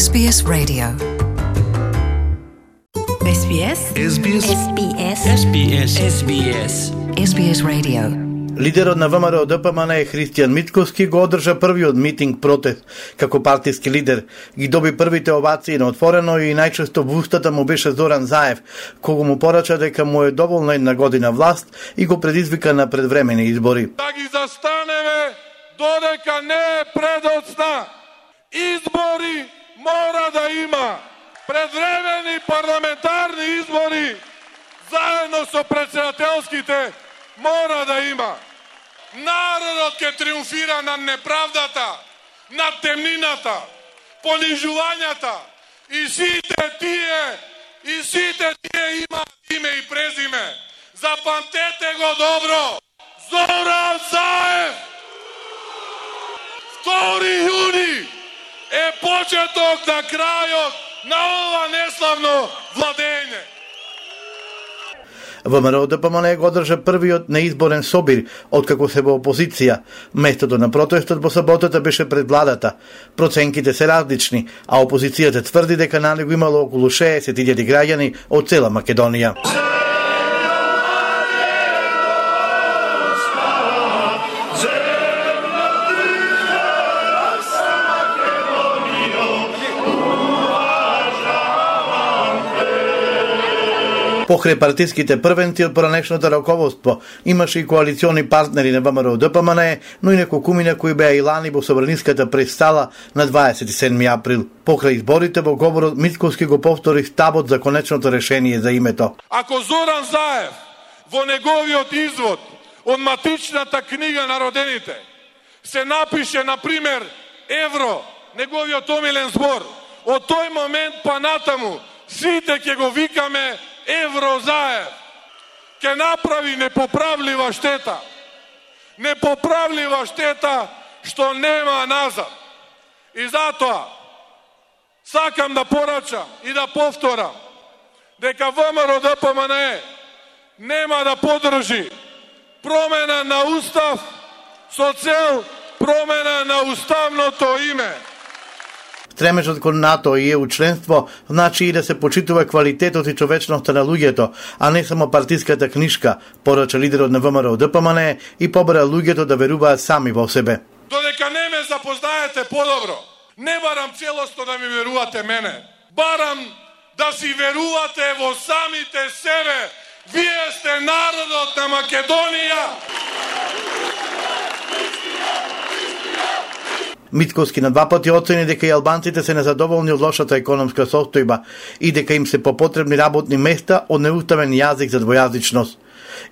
SBS Radio. SBS. SBS. SBS. SBS. SBS. SBS Radio. Лидерот на ВМРО ДПМН Христијан Митковски го одржа првиот митинг протест како партиски лидер. Ги доби првите овации на отворено и најчесто во устата му беше Зоран Заев, кого му порача дека му е доволна една година власт и го предизвика на предвремени избори. Да ги застанеме додека не е предоцна. Избори мора да има. Предвремени парламентарни избори заедно со председателските мора да има. Народот ќе триумфира над неправдата, над темнината, понижувањата и сите тие имаат име и презиме. Запамтете го добро. Зоран Заев! 2 јуни е почеток на крајот на ова неславно владење. ВМРО ДПМН го одржа првиот неизборен собир откако се во опозиција. Местото на протестот во саботата беше пред владата. Проценките се различни, а опозицијата тврди дека на него имало околу 60.000 граѓани од цела Македонија. Покрај партиските првенци од поранешното раководство имаше и коалициони партнери на ВМРО ДПМН, но и неколкумина кои беа и лани во собраниската престала на 27 април. Покрај изборите во говорот Митковски го повтори ставот за конечното решение за името. Ако Зоран Заев во неговиот извод од матичната книга на родените се напише, например, евро, неговиот омилен збор, од тој момент па натаму сите ќе го викаме Евро Заев. Ке направи непоправлива штета. Непоправлива штета што нема назад. И затоа сакам да порачам и да повторам дека ВМРО ДПМН нема да подржи промена на устав со цел промена на уставното име. Стремежот кон НАТО и ЕУ членство значи и да се почитува квалитетот и човечноста на луѓето, а не само партиската книшка, порача лидерот на ВМРО ДПМН и побара луѓето да веруваат сами во себе. Додека не ме запознаете подобро, не барам целосно да ми верувате мене. Барам да си верувате во самите себе. Вие сте народот на Македонија. Митковски на 2 пати оцени дека и албанците се незадоволни од лошата економска состојба и дека им се попотребни работни места од неуставен јазик за двојазичност.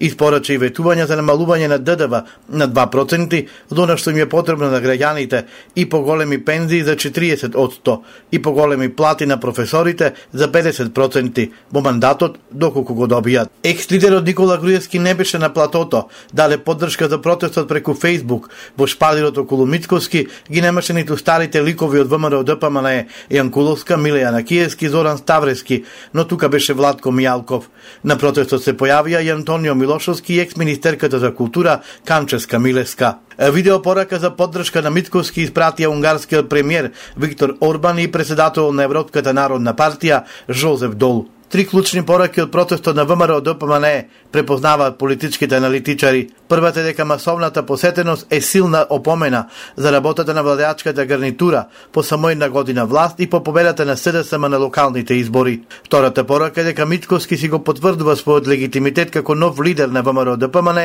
Испорача и ветување за намалување на ДДВ на 2%, за што им е потребно на граѓаните, и поголеми пензии за 40%, и поголеми плати на професорите за 50% во мандатот доколку го добијат. Екс-лидерот Никола Груевски не беше на платото, даде поддршка за протестот преку Facebook. Во шпалирот околу Митковски ги немаше ниту старите ликови од ВМРО ДПМН Јанкуловска, Миле Јанакиевски, Зоран Ставрески, но тука беше Владко Мијалков. На протестот се појавија и Антонио Милошовски и екс-министерката за култура Камческа Милеска. Видеопорака за поддршка на Митковски испратија унгарскиот премиер Виктор Орбан и председател на Европската народна партија Жозеф Дол. 3 клучни пораки од протестот на ВМРО ДПМН препознаваат политичките аналитичари. Првата е дека масовната посетеност е силна опомена за работата на владеачката гарнитура по само една година власт и по победата на СДСМ на локалните избори. Втората порака е дека Митковски си го потврдува својот легитимитет како нов лидер на ВМРО ДПМН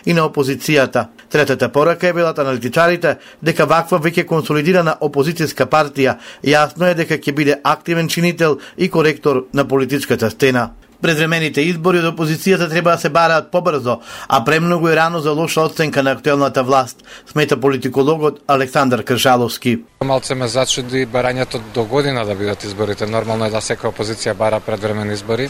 и на опозицијата. Третата порака е велат аналитичарите дека ваква веќе консолидирана опозицијска партија јасно е дека ќе биде активен чинител и коректор на политичката стена. Предвремените избори од опозицијата треба да се бараат побрзо, а премногу е рано за лоша оценка на актуелната власт, смета политикологот Александар Кршаловски. Малце ме зачуди барањето до година да бидат изборите. Нормално е да секоја опозиција бара предвремени избори.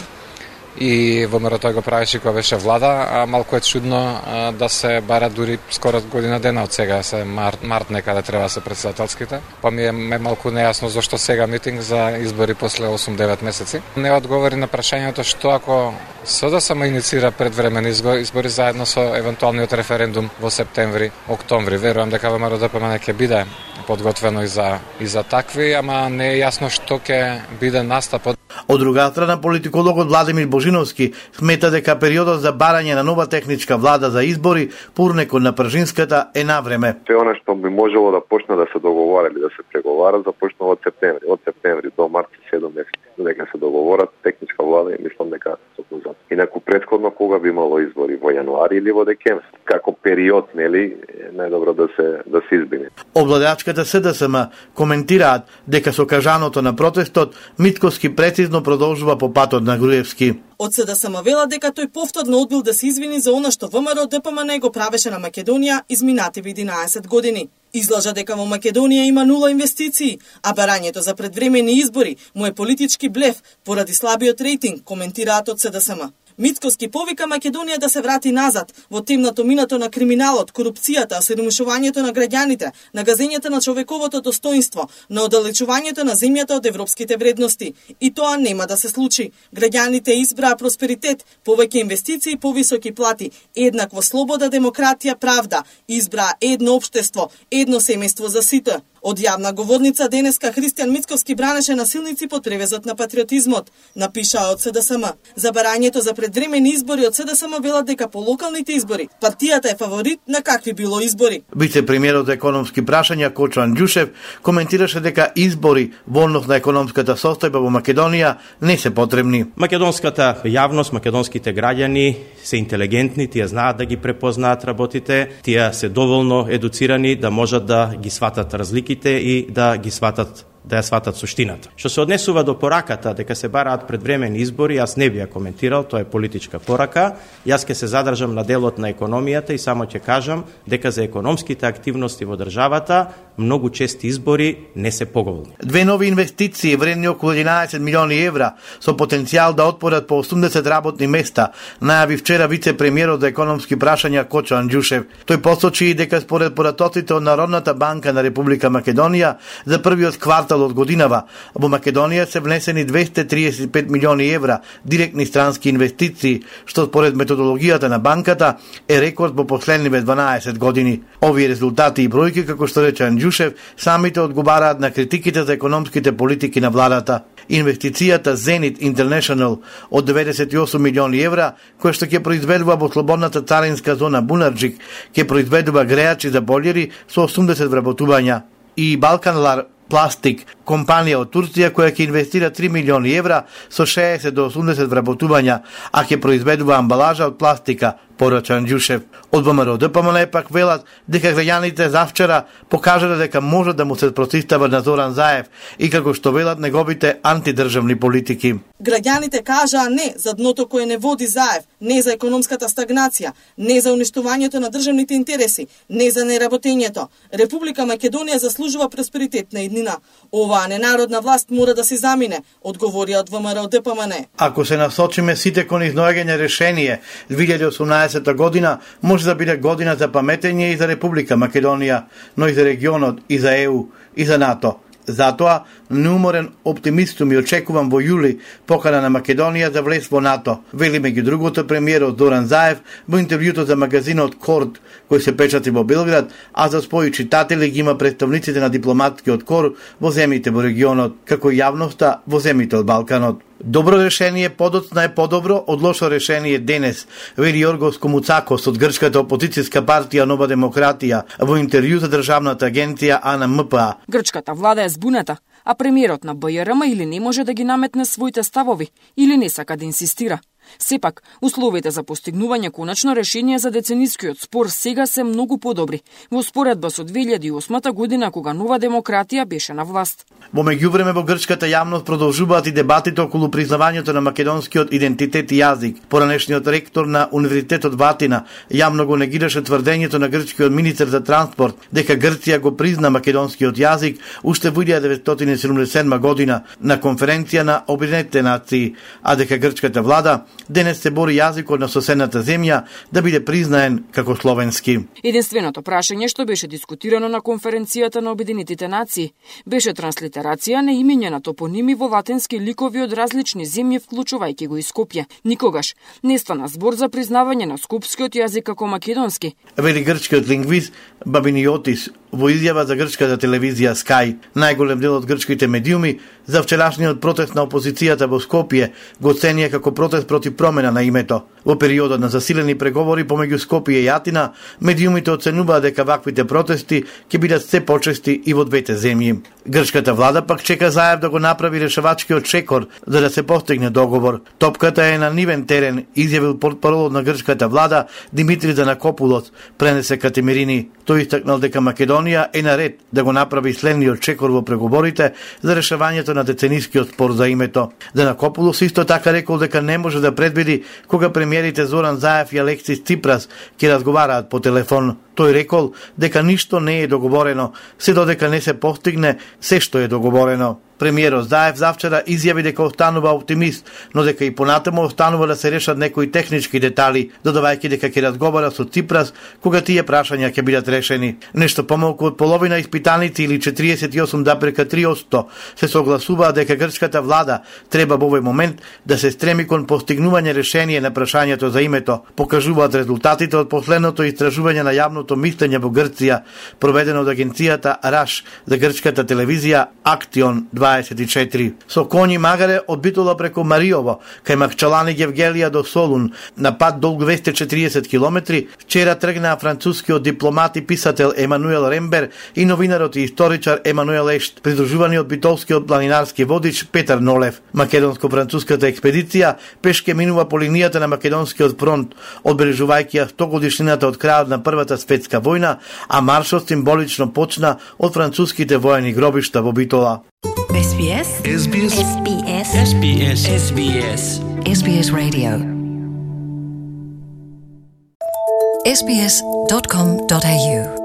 и ВМРО тој го правеше кога беше влада, а малку е чудно да се бара дури скоро година дена од сега, се март некаде треба да се претседателските. Па ми е малку нејасно зашто сега митинг за избори после 8-9 месеци. Не одговори на прашањето што ако СДСМ иницира предвремени избори заедно со евентуалниот референдум во септември, октомври. Верувам дека ВМРО ДПМН ќе биде подготвено и за такви, ама не е јасно што ќе биде настапот. Од друга страна, политикологот Владимир Божиновски смета дека периодот за барање на нова техничка влада за избори, пурнекот на пржинската, е на време. Се она што би можело да почне да се договара или да се преговара, започнува од септември. Од септември до март 7 месеци. Дека се договорат техничка влада и мислам дека се позад. Инаку претходно кога би имало избори, во јануари или во декември, како период, нели, најдобро да се избегне. Обладачката СДСМ коментираат дека со кажаното на протестот Митковски прецизно продолжува по патот на Груевски. Од СДСМ вела дека тој повторно одбил да се извини за она што ВМРО ДПМН го правеше на Македонија изминативи 11 години. Излажа дека во Македонија има нула инвестиции, а барањето за предвремени избори му е политички блеф поради слабиот рейтинг, коментираат од СДСМ. Митковски повика Македонија да се врати назад во темното минато на криминалот, корупцијата, осиромашувањето на граѓаните, на газењето на човековото достоинство, на оддалечувањето на земјата од европските вредности. И тоа нема да се случи. Граѓаните избраа просперитет, повеќе инвестиции, повисоки плати, еднакво слобода, демократија, правда. Избраа едно општество, едно семејство за сите. Од јавна говорница денеска Христијан Митковски бранеше насилници под превезот на патриотизмот, напишаа од СДСМ. За барањето за предвремени избори од СДСМ велат дека по локалните избори партијата е фаворит на какви било избори. Вице-премиерот за економски прашања Кочан Ѓушев коментираше дека избори во однос на економската состојба во Македонија не се потребни. Македонската јавност, македонските граѓани се интелигентни, тие знаат да ги препознаат работите, тие се доволно едуцирани да можат да ги сватат разликите и да ги сватат да ја сватат суштината. Што се однесува до пораката дека се бараат предвремени избори, јас не би ја коментирал, тоа е политичка порака. Јас ќе се задржам на делот на економијата и само ќе кажам дека за економските активности во државата многу чести избори не се поголни. Две нови инвестиции вредни околу 11 милиони евра со потенцијал да отворат по 80 работни места, најави вчера вице-премиерот за економски прашања Кочан Ѓушев. Тој посочи дека според поратоците од Народната банка на Република Македонија за првиот квартал од годинава во Македонија се внесени 235 милиони евра директни странски инвестиции, што според методологијата на банката е рекорд во последниве 12 години. Овие резултати и бројки, како што рече Ѓушев, самите одговараат на критиките за економските политики на владата. Инвестицијата Zenit International од 98 милиони евра, која што ќе произведува во слободната царинска зона Бунарџик, ќе произведува греачи за бољери со 80 вработувања. И Балканлар Пластик, компанија од Турција која ќе инвестира 3 милиони евра со 60 до 80 вработувања, а ќе произведува амбалажа од пластика, порача Ѓушев. Од ВМРО ДПМН пак велат дека граѓаните завчера покажале дека можат да му се противстават на Зоран Заев и како што велат неговите антидржавни политики. Граѓаните кажаа не за дното кое не води Заев, не за економската стагнација, не за уништувањето на државните интереси, не за неработењето. Република Македонија заслужува просперитетна иднина. Оваа ненародна власт мора да се замине, одговорија од ВМРО ДПМН. Ако се насочиме сите кон изнаоѓање решение, 2018 година може да биде година за паметење и за Република Македонија, но и за регионот, и за ЕУ, и за НАТО. Затоа, неуморен оптимистум и очекувам во јули покана на Македонија за влез во НАТО, вели меѓу другото премиерот Зоран Заев во интервјуто за магазинот Корд, кој се печати во Белград, а за своји читатели ги има представниците на дипломатскиот кор во земјите во регионот, како и јавноста во земјите од Балканот. Добро решение подоцна е подобро од лошо решение денес, вели Јоргос Комуцакос од грчката опозицијска партија Нова демократија во интервју за државната агенција АНМПА. Грчката влада е збуната, а премиерот на БЈРМ или не може да ги наметне своите ставови, или не сака да инсистира. Сепак, условите за постигнување конечно решение за деценискиот спор сега се многу подобри, во споредба со 2008 година кога Нова демократија беше на власт. Во меѓувреме во грчката јавност продолжуваат и дебатите околу признавањето на македонскиот идентитет и јазик. Поранешниот ректор на Универзитетот Ватина јавно го негираше тврдењето на грчкиот министер за транспорт дека Грција го призна македонскиот јазик уште во 1977 година на конференција на Обединетите нации, а дека грчката влада денес се бори јазикот на соседната земја да биде признаен како словенски. Единственото прашање што беше дискутирано на конференцијата на Обединетите нации беше транслитерација на имиња на топоними во латински ликови од различни земји, вклучувајќи го и Скопје. Никогаш не стана збор за признавање на скопскиот јазик како македонски. Вели грчкиот лингвист Бабиниотис во изјава за грчката телевизија Sky. Најголем дел од грчките медиуми за вчерашниот протест на опозицијата во Скопје го оценија како протест против промена на името. Во периодот на засилени преговори помеѓу Скопје и Атина, медиумите оценуваат дека ваквите протести ќе бидат се почести и во двете земји. Грчката влада пак чека Заев да го направи решавачкиот чекор за да се постигне договор. Топката е на нивен терен, изјавил портпаролот на грчката влада Димитри Занакопулос, пренесе Катемирини. Тој истакнал дека Македонија е наред да го направи следниот чекор во преговорите за решавањето на деценискиот спор за името. Занакопулос исто така рекол дека не може да предвиди кога премиерите Зоран Заев и Алексис Ципрас ќе разговараат по телефон. Тој рекол дека ништо не е договорено, се додека не се постигне се што е договорено. Премиерот Заев завчера изјави дека останува оптимист, но дека и понатаму останува да се решат некои технички детали, додавајќи дека ќе разговара со Ципрас кога тие прашања ќе бидат решени. Нешто помалку од половина испитаници или 48,3% се согласуваат дека грчката влада треба во овој момент да се стреми кон постигнување решение на прашањето за името, покажуваат резултатите од последното истражување на јавното мислење во Грција, проведено од агенцијата РАШ за грчката телевизија Актион 24. Со коњи магаре од Битола преку Мариово, кај Макчалани Гевгелија до Солун, на пат долг 240 километри, вчера тргнаа францускиот дипломат и писател Емануел Рембер и новинарот и историчар Емануел Ешт, придружувани од битолскиот планинарски водич Петар Нолев. Македонско-француската експедиција пешке минува по линијата на Македонскиот фронт, одбележувајќи ја 100 годишнината од крајот на Првата светска војна, а маршот символично почна од француските воени гробишта во Битола. SBS SBS SBS SBS SBS SBS Radio SBS.com.au